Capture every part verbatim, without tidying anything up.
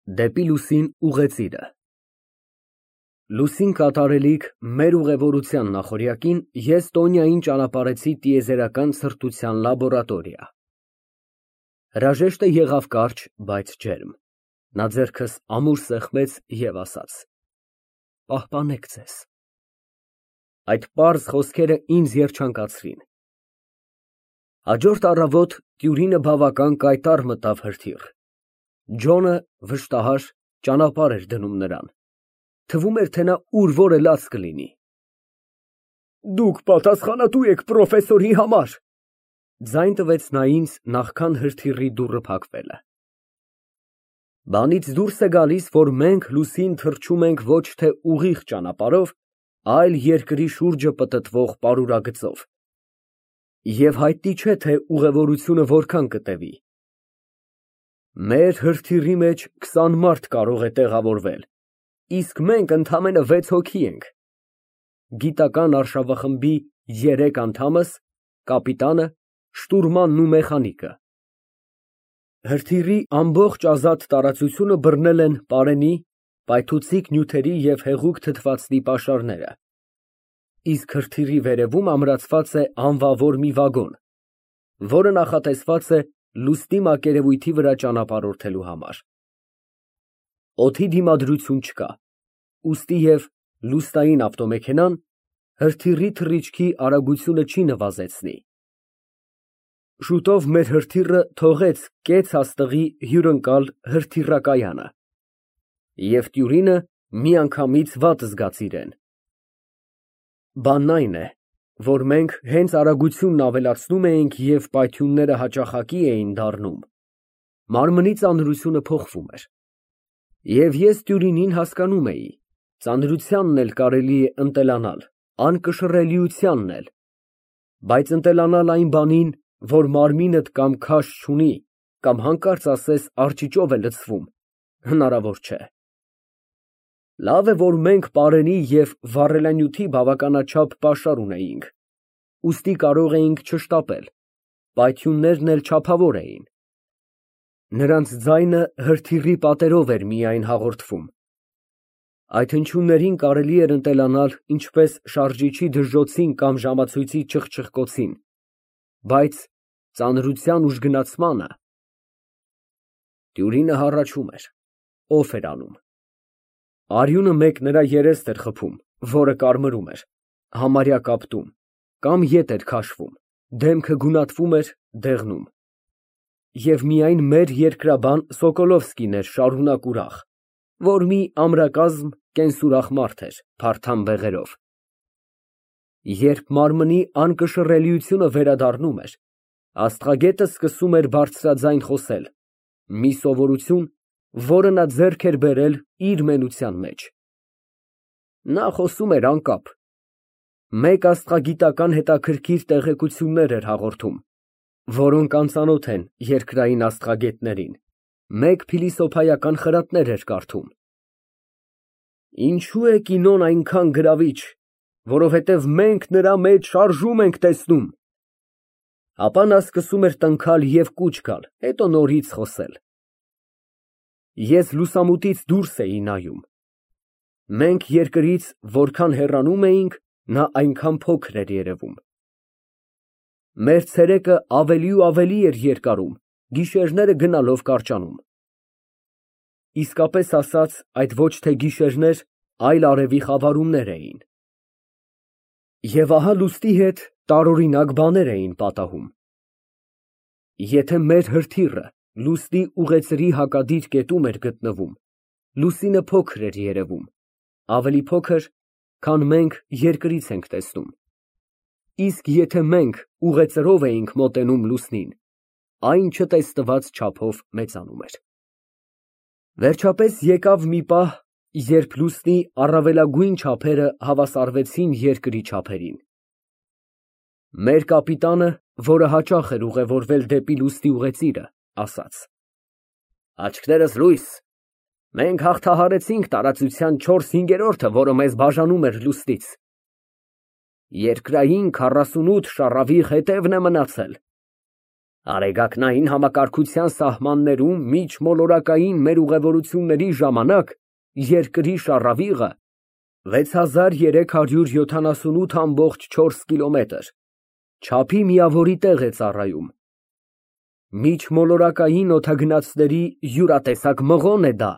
Դեպի լուսին ուղեծիրը Լուսին կատարելիք մեր ուղևորության նախօրյակին ես Տոնյային ճանապարհեցի տիեզերական սրտության լաբորատորիա։ Հրաժեշտը եղավ կարճ, բայց ջերմ, նա ձեռքս ամուր սեղմեց և ասաց. «Պահպանեք ձեզ»։ Այդ պարզ խոսքերը ինձ երջանկացրին։ Հաջորդ առավոտ տյուրինը բավական կայտառ մտավ հրթիռ։ Ջոնը, վշտահար, ճանապարհ էր դնում նրան, թվում էր, թե նա ուր որ էլ կլինի։ «Դուք պատասխանատու եք պրոֆեսորի համար», ձայն տվեց նա ինձ, նախքան հրթիռի դուռը փակվելը։ Բանից դուրս է գալիս, որ մենք լուսին թռչում ենք ոչ թե ուղիղ ճանապարհով, այլ երկրի շուրջը պտտվող պարուրագծով։ Եվ հայտնի չէ, թե ուղևորությունը որքան կտևի։ Մեր հրթիռի մեջ քսան մարդ կարող է տեղավորվել, իսկ մենք ընդամենը վեց հոգի ենք. գիտական արշավախմբի երեք անդամս, կապիտանը, շտուրմանն ու մեխանիկը։ Հրթիռի ամբողջ ազատ տարածությունը բռնել են պարենի, պայթուցիկ նյութերի և հեղուկ թթվածնի պաշարները, իսկ հրթիռի վերևում ամրացված է անվավոր մի վագոն, որը նախատեսված է լուսնի մակերևույթի վրա ճանապարհորդելու համար։ Օդի դիմադրություն չկա, ուստի և լուսնային ավտոմեքենան հրթիռի թռիչքի արագությունը չի նվազեցնի։ Շուտով մեր հրթիռը թողեց կեց աստղի հյուրընկալ հրթիռակայանը, և տյուրինը միանգամից վատ զգաց իրեն։ Բանն այն է, որ մենք հենց արագությունն ավելացնում էինք և պայթյունները հաճախակի էին դառնում, մարմնի ծանրությունը փոխվում էր։ Եվ ես տյուրինին հասկանում էի, ծանրությանն էլ կարելի է ընտելանալ, անկշռելիությանն էլ, բայց ընտելանալ այն բանին, որ մարմինդ կամ քաշ չունի, կամ հանկարծ ասես արճիճով է լցվում, հնարավոր չէ։ Լավ է, որ մենք պարենի և վառելանյութի բավականաչափ պաշար ունեինք, ուստի կարող էինք չշտապել, պայթյուններն էլ չափավոր էին։ Նրանց ձայնը հրթիռի պատերով էր միայն հաղորդվում։ Այդ հնչյուններին կարելի էր ընտելանալ ինչպես շարժիչի դժոխցին կամ ժամացույցի չխչխկոցին, բայց ծանրության ուժգնացմանը… Տյուրինը հառաչում էր, օֆ էր անում։ Արյունը մեկ նրա երեստ էր խփում, որը կարմրում էր, համարյա կապտում, կամ ետ էր քաշվում, դեմքը գունատվում էր, դեղնում։ Եվ միայն մեր երկրաբան Սոկոլովսկին էր շարունակ ուրախ, որ մի ամրակազմ, կենսուրախ մարդ էր, փարթամ բեղերով։ Երբ մարմնի անկշռելիությունը վերադառնում էր, աստղագետը սկսում էր բարձրաձայն խոսել, մի սովորություն, որը նա ձեռք էր բերել իր մենության մեջ։ Նա խոսում էր անկապ, մեկ աստղագիտական հետաքրքիր տեղեկություններ էր հաղորդում, որոնք անծանոթ են երկրային աստղագետներին, մեկ փիլիսոփայական խրատներ էր կարդում։ Ինչո՞ւ է կինոն այնքան գրավիչ, որովհետև մենք նրա մեջ շարժում ենք տեսնում։ Ապա նա սկսում էր տնքալ և կուչ գալ, հետո նորից խոսել։ Ես լուսամուտից դուրս էի նայում։ Մենք երկրից որքան հեռանում էինք, նա այնքան փոքր էր երևում։ Մեր ցերեկը ավելի ու ավելի էր երկարում, գիշերները գնալով կարճանում։ Իսկապես ասած, այդ ոչ թե գիշերներ, այլ արևի խավարումներ էին։ Եվ ահա լուսնի հետ տարօրինակ բաներ էին պատահում։ Եթե մեր հրթիռը լուսնի ուղեծրի հակադիր կետում էր գտնվում, լուսինը փոքր էր երևում, ավելի փոքր, քան մենք երկրից ենք տեսնում, իսկ եթե մենք ուղեծրով էինք մոտենում լուսնին, այն չտեսնված չափով մեծանում էր։ Վերջապես եկավ մի պահ, երբ լուսնի առավելագույն չափերը հավասարվեցին երկրի չափերին։ Մեր կապիտանը, որը հաճախ էր ուղևորվել դեպի լուսնի ուղեծիրը, ասաց. Աչքներս լույս, մենք հաղթահարեցինք տարածության չորս հինգերորդը, որը մեզ բաժանում էր լուսնից։ Երկրային քառասունութ շառավիղ հետևն է մնացել։ Արեգակնային համակարգության սահմաններում միջմոլորակային մեր ուղևորությունների ժամանակ երկրի շառավիղը վեց հազար երեք հարյուր յոթանասունութ կόμma չորս կիլոմետր, չափի միավորի տեղ է ծառայում։ Միջմոլորակային օդագնացների յուրատեսակ մղոն է դա,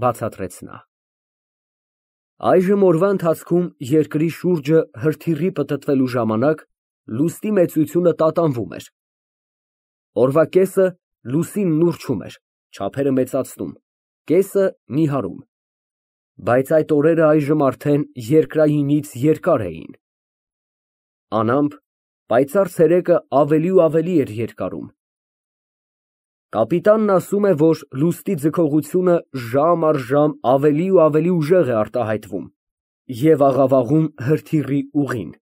բացատրեց նա։ Այժմ օրվա ընթացքում երկրի շուրջը հրթիռի պտտվելու ժամանակ լուսնի մեծությունը տատանվում էր։ Օրվա կեսը լուսինն ուռչում էր, չափերը մեծացնում, կեսը նիհարում, բայց այդ օրերը այժմ արդեն երկրայինից երկար էին։ Անամպ, պայծառ ցերեկը ավելի ու ավելի էր երկարում։ Կապիտանն ասում է, որ լուսնի ձգողությունը ժամ առ ժամ ավելի ու ավելի ուժեղ է արտահայտվում և աղավաղում հրթիռի ուղին։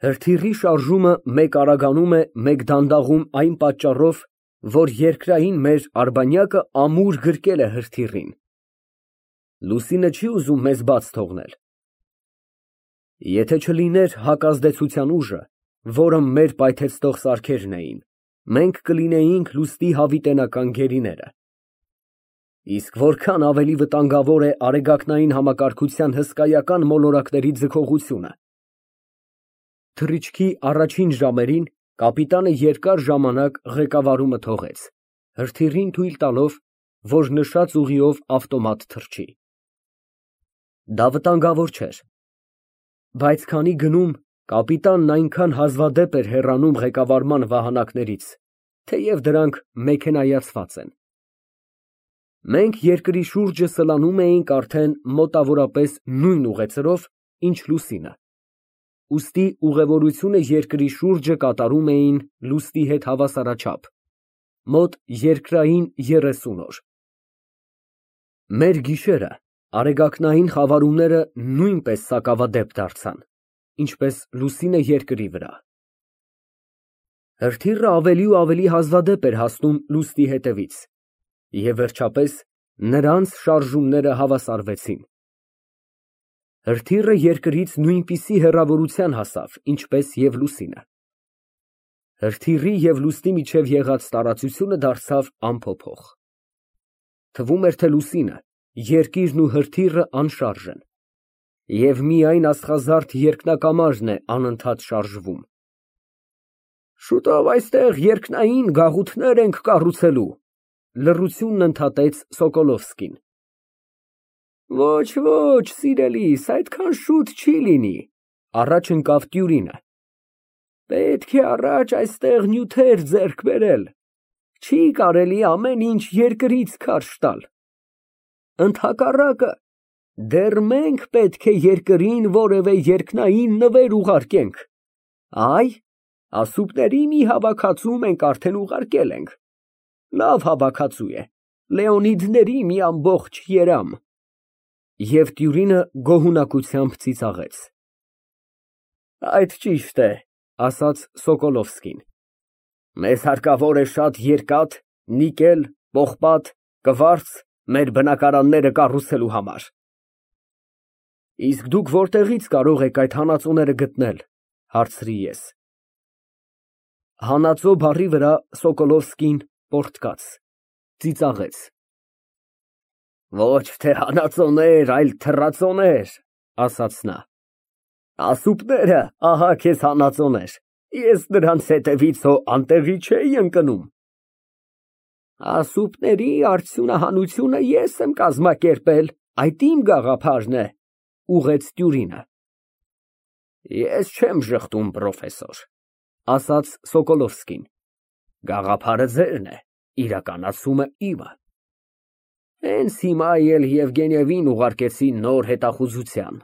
Հրթիռի շարժումը մեկ արագանում է, մեկ դանդաղում այն պատճառով, որ երկրային մեր արբանյակը ամուր գրկել է հրթիռին։ Լուսինը չի ուզում մեզ բաց թողնել։ Եթե չլիներ հակազդեցության ուժը, որը մեր պայթեցնող սարքերն էին, մենք կլինեինք լուսնի հավիտենական գերիները։ Իսկ որքան ավելի վտանգավոր է արեգակնային համակարգության հսկայական մոլորակների ձգողությունը։ Թռիչքի առաջին ժամերին կապիտանը երկար ժամանակ ղեկավարումը թողեց, հրթիռին թույլ տալով, որ նշած ուղիով ավտոմատ թռչի։ Դա վտանգավոր չէր, բայց քանի գնում կապիտանն այնքան հազվադեպ էր հեռանում ղեկավարման վահանակներից, թեև դրանք մեքենայացված են։ Մենք երկրի շուրջը սլանում էինք արդեն մոտավորապես նույն ուղեծրով, ինչ լուսինը, ուստի ուղևորությունը երկրի շուրջը կատարում էին լուսնի հետ հավասարաչափ, մոտ երկրային երեսուն օր։ Մեր գիշերը արեգակնային խավարումները նույնպես սակավադեպ դարձան, ինչպես լուսինը երկրի վրա։ Հրթիռը ավելի ու ավելի հազվադեպ էր հասնում լուսնի հետևից, և վերջապես նրանց շարժումները հավասարվեցին։ Հրթիռը երկրից նույնպիսի հեռավորության հասավ, ինչպես և լուսինը։ Հրթիռի և լուսնի միջև եղած տարածությունը դարձավ անփոփոխ։ Թվում էր, թե լուսինը, երկիրն ու հրթիռը անշարժ են, և միայն աստղազարդ երկնակամարն է անընդհատ շարժվում։ Շուտով այստեղ երկնային գաղութներ ենք կառուցելու, լռությունն ընդհատեց Սոկոլովսկին։ Ոչ, ոչ, սիրելիս, այդքան շուտ չի լինի, առաջ ընկավ Տյուրինը։ Պետք է առաջ այստեղ նյութեր ձեռք բերել, չի կարելի ամեն ինչ երկրից քարշ տալ։ Ընդհակառակը, դեռ մենք պետք է երկրին որևէ երկնային նվեր ուղարկենք։ Այ, ասուպների մի հավաքածու մենք արդեն ուղարկել ենք։ Լավ հավաքածու է, Լեոնիդների մի ամբողջ երամ։ Եվ Տյուրինը գոհունակությամբ ծիծաղեց։ Այդ ճիշտ է, ասաց Սոկոլովսկին։ Մեզ հարկավոր է շատ երկաթ, նիկել, պողպատ, կվարց մեր բնակարանները կառուցելու համար։ Իսկ դուք որտեղից կարող եք այդ հանածոները գտնել, հարցրի ես։ Հանածո բառի վրա Սոկոլովսկին պոռթկաց, ծիծաղեց։ Ոչ թե հանածոներ, այլ թռածոներ, ասաց նա։ Ասուպները, ահա քեզ հանածոներ, ես նրանց հետևից հո անտեղի չէի ընկնում։ Ասուպների արդյունահանությունը ես եմ կազմակերպել, այդ իմ գաղափարն է, ուղղեց Տյուրինը։ Ես չեմ ժխտում, պրոֆեսոր, ասաց Սոկոլովսկին, գաղափարը ձերն է, իրականացումը իմը։ Հենց հիմա էլ Եվգենիևին ուղարկեցի նոր հետախուզության։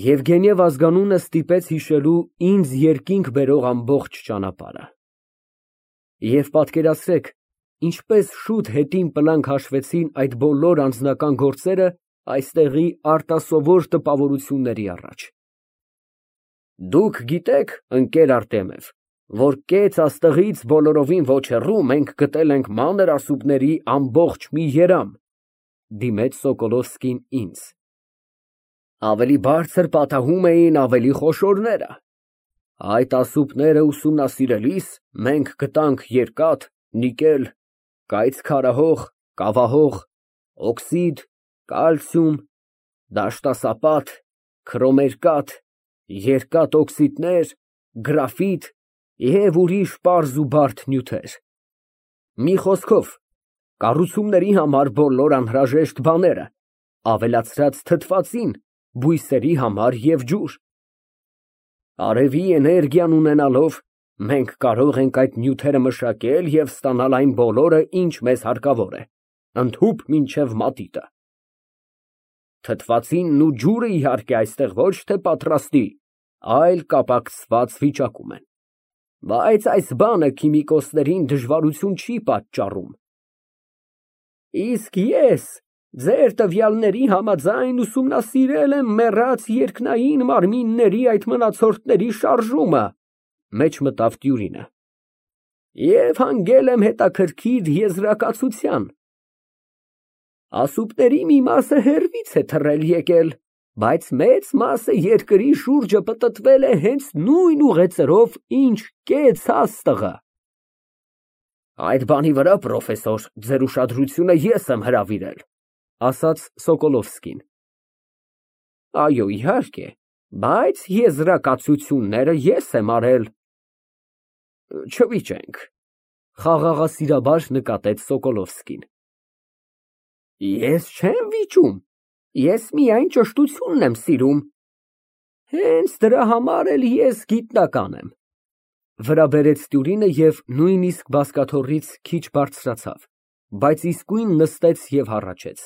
Եվգենիև ազգանունը ստիպեց հիշելու ինձ երկինք բերող ամբողջ ճանապարհը։ Եվ պատկերացրեք, ինչպես շուտ հետին պլանք հաշվեցին այդ բոլոր անձնական գործերը այստեղի արտասովոր տպավորությունների առաջ։ Դուք գիտեք, ընկեր Արտեմև, որ կեց աստղից բոլորովին ոչ հեռու մենք գտել ենք մանր ասուպների ամբողջ մի երամ, դիմեց Սոկոլովսկին ինձ։ Ավելի բարձր պատահում էին ավելի խոշորները։ Այդ ասուպները ուսումնասիրելիս մենք գտանք երկաթ, նիկել, կայծ քարահող, կավահող, օքսիդ, կալցիում, դաշտասապատ, քրոմերկաթ, երկաթ օքսիդներ, գրաֆիտ և ուրիշ պարզ ու բարդ նյութեր։ Մի խոսքով, կառուցումների համար բոլոր անհրաժեշտ բաները, ավելացրած թթվածին, բույսերի համար և ջուր։ Արևի էներգիան ունենալով, մենք կարող ենք այդ նյութերը մշակել և ստանալ այն բոլորը, ինչ մեզ հարկավոր է, ընդհուպ մինչև մատիտը։ Թթվածինն ու ջուրը, իհարկե, այստեղ ոչ թե պատրաստի, այլ կապակցված վիճակում են, բայց այս բանը քիմիկոսներին դժվարություն չի պատճառում։ Իսկ ես ձեր տվյալների համաձայն ուսումնասիրել եմ մեռած երկնային մարմինների այդ մնացորդների շարժումը, մեջ մտավ Տյուրինը, և հանգել եմ հետաքրքիր եզրակացության։ Ասուպների մի մասը հեռվից է թռել եկել, բայց մեծ մասը երկրի շուրջը պտտվել է հենց նույն ուղեծրով, ինչ կեց աստղը։ Այդ բանի վրա, պրոֆեսոր, ձեր ուշադրությունը ես եմ հրավիրել, ասաց Սոկոլովսկին։ Այո, իհարկե, բայց եզրակացությունները ես եմ արել։ Չվիճենք, խաղաղասիրաբար նկատեց Սոկոլովսկին։ Ես չեմ վիճում, ես միայն ճշտությունն եմ սիրում։ Հենց դրա համար էլ ես գիտնական եմ, վրա բերեց Տյուրինը և նույնիսկ բազկաթոռից քիչ բարձրացավ, բայց իսկույն նստեց և հառաչեց։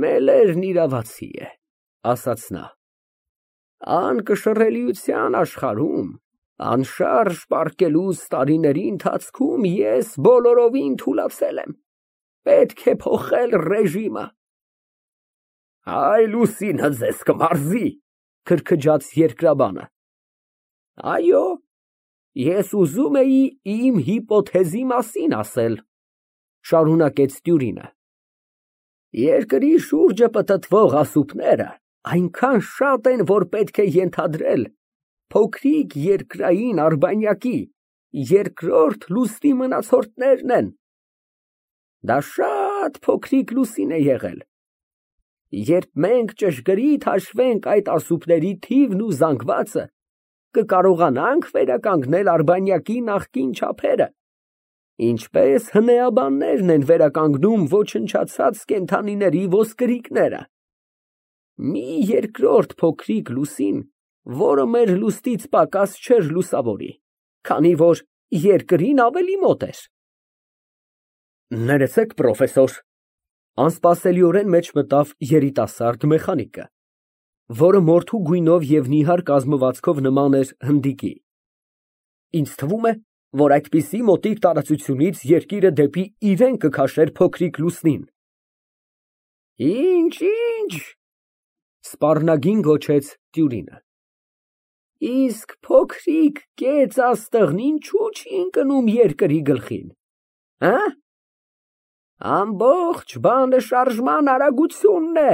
Մելերն իրավացի է, ասաց նա, անկշռելիության աշխարհում անշարժ պառկելուս տարիների ընթացքում ես բոլորովին թուլացել եմ, պետք է փոխել ռեժիմը։ Այ Լուսինը ձեզ կմարզի, քրքջաց երկրաբանը։ Այո, ես ուզում էի իմ հիպոթեզի մասին ասել, շարունակեց Տյուրինը։ Երկրի շուրջը պտտվող ասուպները այնքան շատ են, որ պետք է ենթադրել փոքրիկ երկրային արբանյակի երկրորդ լուսնի մնացորդներն են։ Դա շատ փոքրիկ լուսին է եղել։ Երբ մենք ճշգրիտ հաշվենք այդ ասուպների թիվն ու զանգվածը, կկարողանանք վերականգնել արբանյակի նախկին չափերը, ինչպես հնեաբաններն են վերականգնում ոչնչացած կենդանիների ոսկրիկները։ Մի երկրորդ փոքրիկ լուսին, որը մեր լուսնից պակաս չէր լուսավորի, քանի որ երկրին ավելի մոտ էր։ Ներեցեք, պրոֆեսոր, անսպասելիորեն մեջ մտավ երիտասարդ մեխանիկը, որը մորթու գույնով և նիհար կազմվածքով նման էր հնդիկի։ Ինձ թվում է, որ այդպիսի մոտիկ տարածությունից երկիրը դեպի իրեն կքաշեր փոքրիկ լուսնին։ Ինչ, ինչ, սպառնագին գոչեց Տյուրինը։ Իսկ փոքրիկ կեց աստղն ինչու չի ընկնում երկրի գլխին, հա՞։ Ամբողջ բանը շարժման արագությունն է։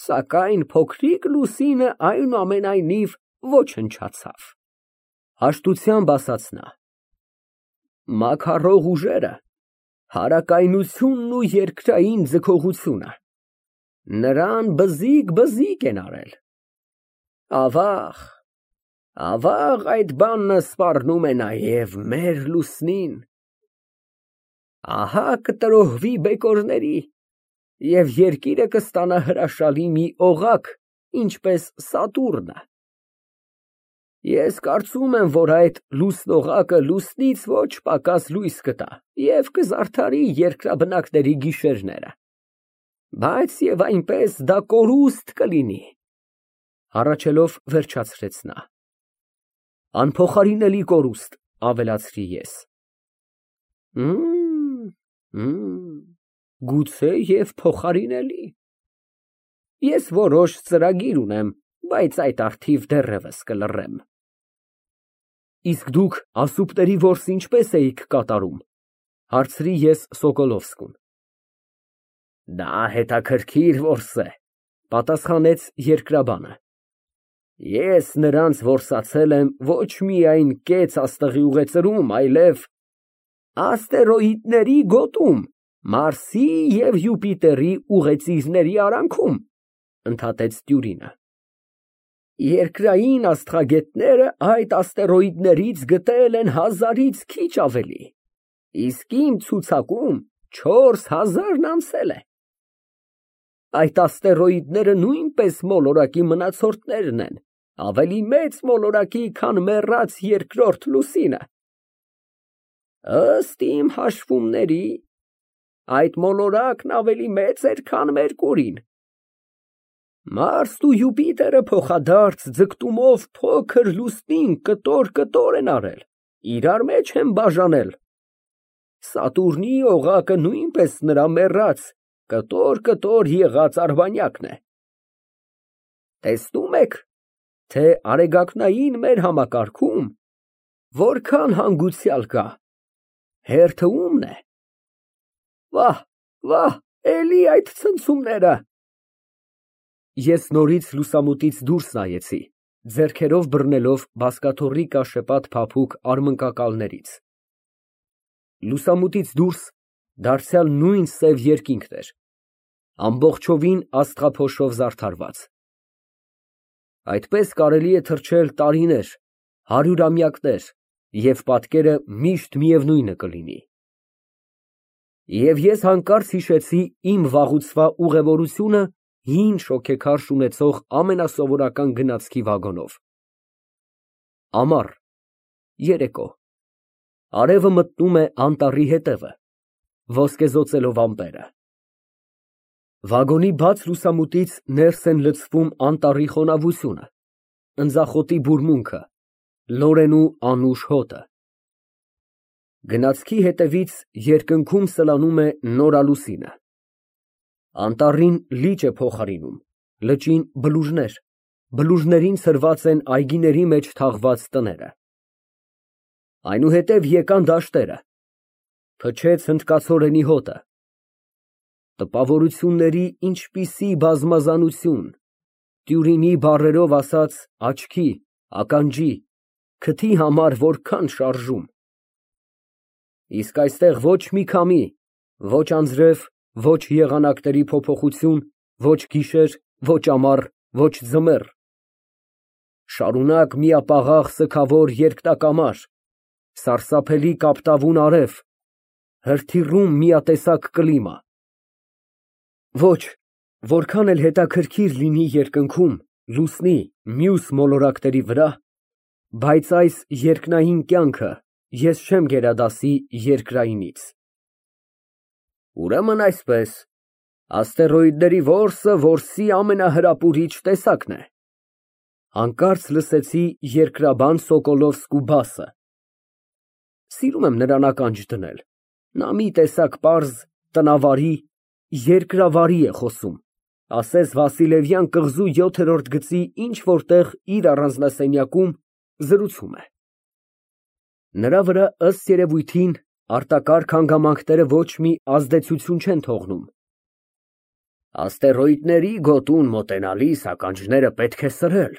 Սակայն փոքրիկ լուսինը այնուամենայնիվ ոչնչացավ, հաշտությամբ ասաց նա։ Մաքարող ուժերը, հարակայնությունն ու երկրային ձգողությունը նրան բզիկ֊բզիկ են արել։ Ավաղ, ավաղ այդ բանը սպառնում է նաև մեր լուսնին։ Ահա կտրոհվի բեկորների, և երկիրը կստանա հրաշալի մի օղակ, ինչպես Սատուրնը։ Ես կարծում եմ, որ այդ լուսնօղակը լուսնից ոչ պակաս լույս կտա և կզարդարի երկրաբնակների գիշերները, բայց և այնպես դա կորուստ կլինի, հառաչելով վերջացրեց նա։ Անփոխարինելի կորուստ, ավելացրի ես։ Գուցե և փոխարինելի։ Ես որոշ ծրագիր ունեմ, բայց այդ առթիվ դեռևս կլռեմ։ Իսկ դուք ասուպների որսը ինչպես էիք կատարում, հարցրի ես Սոկոլովսկուն։ Դա հետաքրքիր որս է, պատասխանեց երկրաբանը։ Ես նրանց որսացել եմ ոչ միայն կեց աստղի ուղեծրում, այլև աստերոիդների գոտում, Մարսի և Յուպիտերի ուղեծիրների արանքում, ընդհատեց Տյուրինը։ Երկրային աստղագետները այդ աստերոիդներից գտել են հազարից քիչ ավելի, իսկ իմ ցուցակում չորս հազարն անցել է։ Այդ աստերոիդները նույնպես մոլորակի մնացորդներն են, ավելի մեծ մոլորակի, քան մեռած երկրորդ լուսինը։ Ըստ իմ հաշվումների, այդ մոլորակն ավելի մեծ էր, քան Մերկուրին։ Մարսն ու Յուպիտերը փոխադարձ ձգտումով փոքր լուսնին կտոր֊կտոր են արել, իրար մեջ են բաժանել։ Սատուրնի օղակը նույնպես նրա մեռած, կտոր֊կտոր եղած արբանյակն է։ Տեսնում եք, թե արեգակնային մեր համակարգում որքան հանգուցյալ կա, հերթը ո՞ւմն է։ Վահ, վահ, էլի այդ ցնցումները։ Ես նորից լուսամուտից դուրս նայեցի, ձեռքերով բռնելով բազկաթոռի կաշեպատ փափուկ արմնկակալներից։ Լուսամուտից դուրս դարձյալ նույն սև երկինքն էր, ամբողջովին աստղափոշով զարդարված։ Այդպես կարելի է թռչել տարիներ, հարյուրամյակներ, և պատկերը միշտ միևնույնը կլինի։ Եվ ես հանկարծ հիշեցի իմ վաղուցվա ուղևորությունը հին շոգեքարշ ունեցող ամենասովորական գնացքի վագոնով։ Ամառ, երեկո, արևը մտնում է անտառի հետևը, ոսկեզօծելով ամպերը։ Վագոնի բաց լուսամուտից ներս են լցվում անտառի խոնավությունը, ընձախոտի բուրմունքը, լորենու անուշ հոտը։ Գնացքի հետևից երկնքում սլանում է նորալուսինը։ Անտառին լիճ է փոխարինում, լճին բլուրներ, բլուրներին ցրված են այգիների մեջ թաղված տները։ Այնուհետև եկան դաշտերը, փչեց հնդկացորենի հոտը։ Տպավորությունների ինչպիսի բազմազանություն, Տյուրինի բառերով ասած, աչքի, ականջի, քթի համար որքան շարժում։ Իսկ այստեղ ոչ մի քամի, ոչ անձրև, ոչ եղանակների փոփոխություն, ոչ գիշեր, ոչ ամառ, ոչ ձմեռ։ Շարունակ միապաղաղ սգավոր երկնակամար, սարսափելի կապտավուն արև, հրթիռում միատեսակ կլիմա։ Ոչ, որքան էլ հետաքրքիր լինի երկնքում, լուսնի, մյուս մոլորակների վրա, բայց այս երկնային կյանքը ես չեմ գերադասի երկրայինից։ Ուրեմն այսպես, աստերոիդների որսը որսի ամենահրապուրիչ տեսակն է։ Հանկարծ լսեցի երկրաբան Սոկոլովսկու բասը։ Սիրում եմ նրան ականջ դնել, նա մի տեսակ պարզ, տնավարի, երկրավարի է խոսում, ասես Վասիլևյան կղզու յոթերորդ գծի ինչ֊որ տեղ իր առանձնասենյակում զրուցում է։ Նրա վրա, ըստ երևույթին, արտակարգ հանգամանքները ոչ մի ազդեցություն չեն թողնում։ Աստերոիդների գոտուն մոտենալիս ականջները պետք է սրել,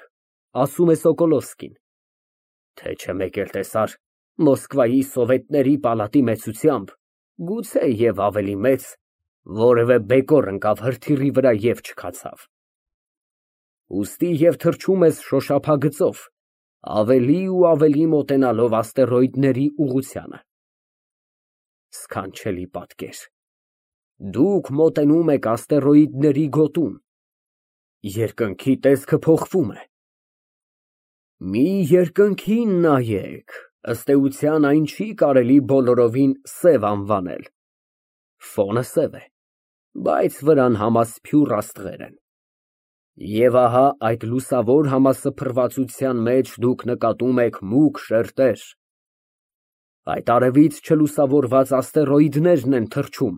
ասում է Սոկոլովսկին, թե չէ մեկ էլ տեսար Մոսկվայի սովետների պալատի մեծությամբ, գուցե և ավելի մեծ, որևէ բեկոր ընկավ հրթիռի վրա և չքացավ։ Ուստի և թռչում ես շոշափագծով, ավելի ու ավելի մոտենալով աստերոիդների ուղղությանը։ Սքանչելի պատկեր։ Դուք մոտենում եք աստերոիդների գոտուն, երկնքի տեսքը փոխվում է։ Մի երկնքին նայեք, ըստ էության այն չի կարելի բոլորովին սև անվանել։ Ֆոնը սև է, բայց վրան համասփյուռ աստղեր են։ Եվ ահա այդ լուսավոր համասփռվածության մեջ դուք նկատում եք մուգ շերտեր։ Այդ արևից չլուսավորված աստերոիդներն են թռչում,